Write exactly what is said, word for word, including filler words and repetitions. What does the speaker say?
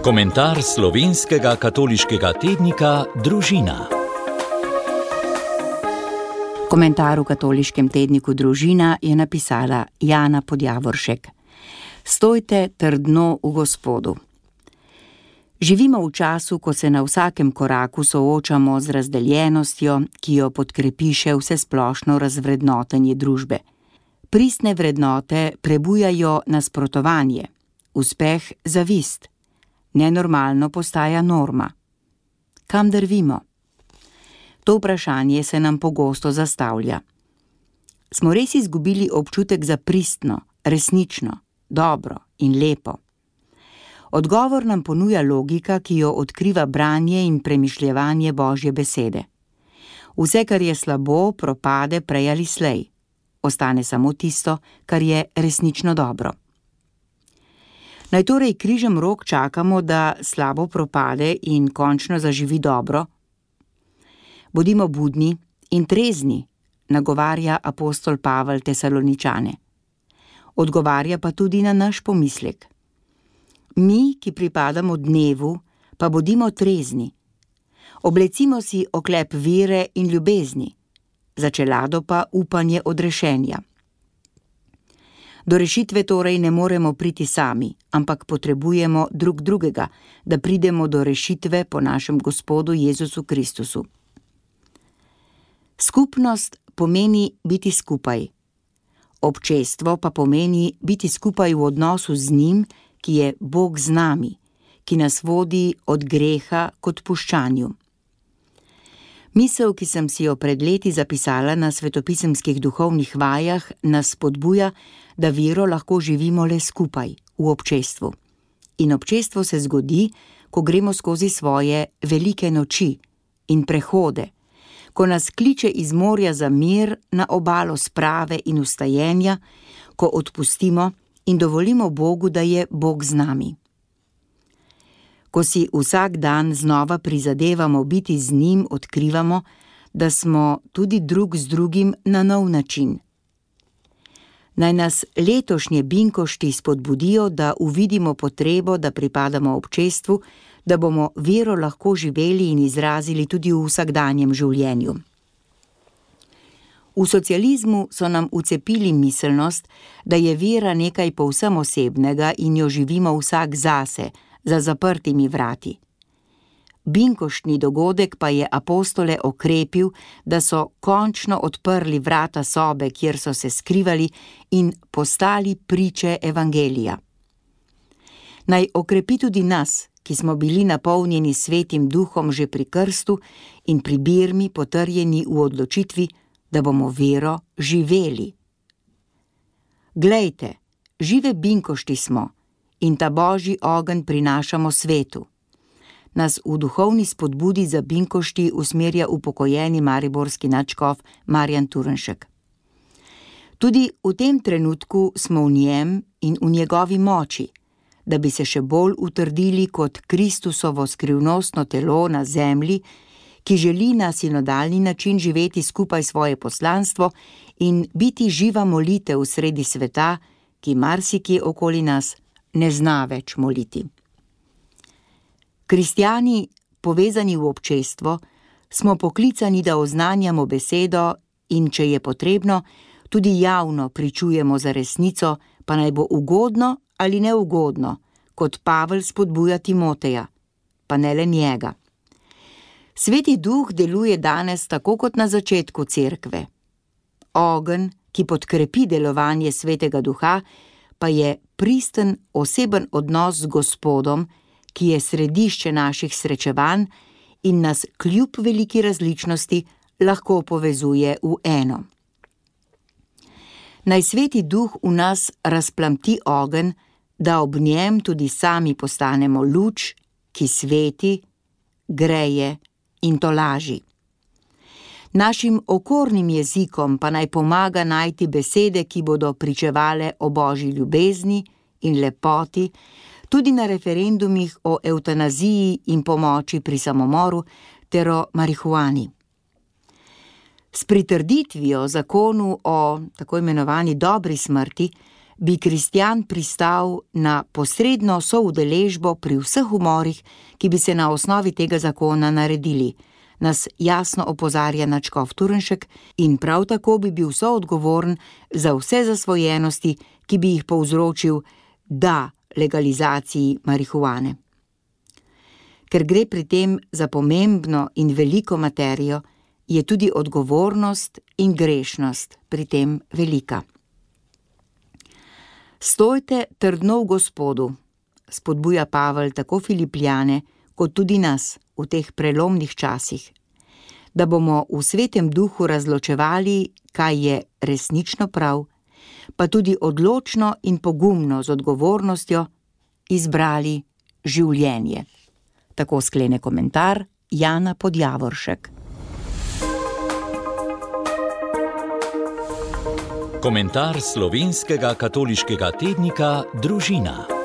Komentar slovenskega katoliškega tednika Družina. Komentar v katoliškem tedniku Družina je napisala Jana Podjavoršek. Stojte trdno v Gospodu. Živimo v času, ko se na vsakem koraku soočamo z razdeljenostjo, ki jo podkrepi še vsesplošno razvrednotenje družbe. Pristne vrednote prebujajo nasprotovanje, uspeh zavist. Nenormalno postaja norma. Kam drvimo? To vprašanje se nam pogosto zastavlja. Smo res izgubili občutek za pristno, resnično, dobro in lepo? Odgovor nam ponuja logika, ki jo odkriva branje in premišljevanje Božje besede. Vse, kar je slabo, propade prej ali slej. Ostane samo tisto, kar je resnično dobro. Naj torej križem rok čakamo, da slabo propade in končno zaživi dobro? Bodimo budni in trezni, nagovarja apostol Pavel Tesaloničane. Odgovarja pa tudi na naš pomislek. Mi, ki pripadamo dnevu, pa bodimo trezni. Oblecimo si oklep vere in ljubezni, za čelado pa upanje odrešenja. Do rešitve torej ne moremo priti sami, ampak potrebujemo drug drugega, da pridemo do rešitve po našem Gospodu Jezusu Kristusu. Skupnost pomeni biti skupaj. Občestvo pa pomeni biti skupaj v odnosu z njim, ki je Bog z nami, ki nas vodi od greha k odpuščanju. Misel, ki sem si jo pred leti zapisala na svetopisemskih duhovnih vajah, nas spodbuja, da vero lahko živimo le skupaj, v občestvu. In občestvo se zgodi, ko gremo skozi svoje velike noči in prehode, ko nas kliče iz morja za mir na obalo sprave in vstajenja, ko odpustimo in dovolimo Bogu, da je Bog z nami. Ko si vsak dan znova prizadevamo biti z njim, odkrivamo, da smo tudi drug z drugim na nov način. Naj nas letošnje binkošti spodbudijo, da uvidimo potrebo, da pripadamo občestvu, da bomo vero lahko živeli in izrazili tudi v vsakdanjem življenju. V socializmu so nam vcepili miselnost, da je vera nekaj povsem osebnega in jo živimo vsak zase, za zaprtimi vrati. Binkoštni dogodek pa je apostole okrepil, da so končno odprli vrata sobe, kjer so se skrivali in postali priče evangelija. Naj okrepi tudi nas, ki smo bili napolnjeni svetim duhom že pri krstu in pri birmi potrjeni v odločitvi, da bomo vero živeli. Glejte, žive binkošti smo in ta Božji ogenj prinašamo svetu. Nas v duhovni spodbudi za binkošti usmerja upokojeni mariborski nadškof Marjan Turnšek. Tudi v tem trenutku smo v njem in v njegovi moči, da bi se še bolj utrdili kot Kristusovo skrivnostno telo na zemlji, ki želi na sinodalni način živeti skupaj svoje poslanstvo in biti živa molitev sredi sveta, ki marsikje okoli nas ne zna več moliti. Kristjani, povezani v občestvo, smo poklicani, da oznanjamo besedo in, če je potrebno, tudi javno pričujemo za resnico, pa naj bo ugodno ali neugodno, kot Pavel spodbuja Timoteja, pa ne le njega. Sveti duh deluje danes tako kot na začetku cerkve. Ogenj, ki podkrepi delovanje svetega duha, pa je pristen oseben odnos z Gospodom, ki je središče naših srečevanj in nas kljub veliki različnosti lahko povezuje v eno. Naj sveti duh v nas razplamti ogenj, da ob njem tudi sami postanemo luč, ki sveti, greje in tolaži. Našim okornim jezikom pa naj pomaga najti besede, ki bodo pričevale o Božji ljubezni in lepoti, tudi na referendumih o evtanaziji in pomoči pri samomoru ter o marihuani. S pritrditvijo zakonu o tako imenovani dobri smrti bi kristjan pristal na posredno soudeležbo pri vseh umorih, ki bi se na osnovi tega zakona naredili, nas jasno opozarja nadškof Turnšek, in prav tako bi bil soodgovoren za vse zasvojenosti, ki bi jih povzročil da legalizaciji marihuane. Ker gre pri tem za pomembno in veliko materijo, je tudi odgovornost in grešnost pri tem velika. Stojte trdno v Gospodu, spodbuja Pavel tako Filipljane, kot tudi nas v teh prelomnih časih, da bomo v Svetem Duhu razločevali, kaj je resnično prav, pa tudi odločno in pogumno z odgovornostjo izbrali življenje. Tako sklene komentar Jana Podjavoršek. Komentar slovenskega katoliškega tednika Družina.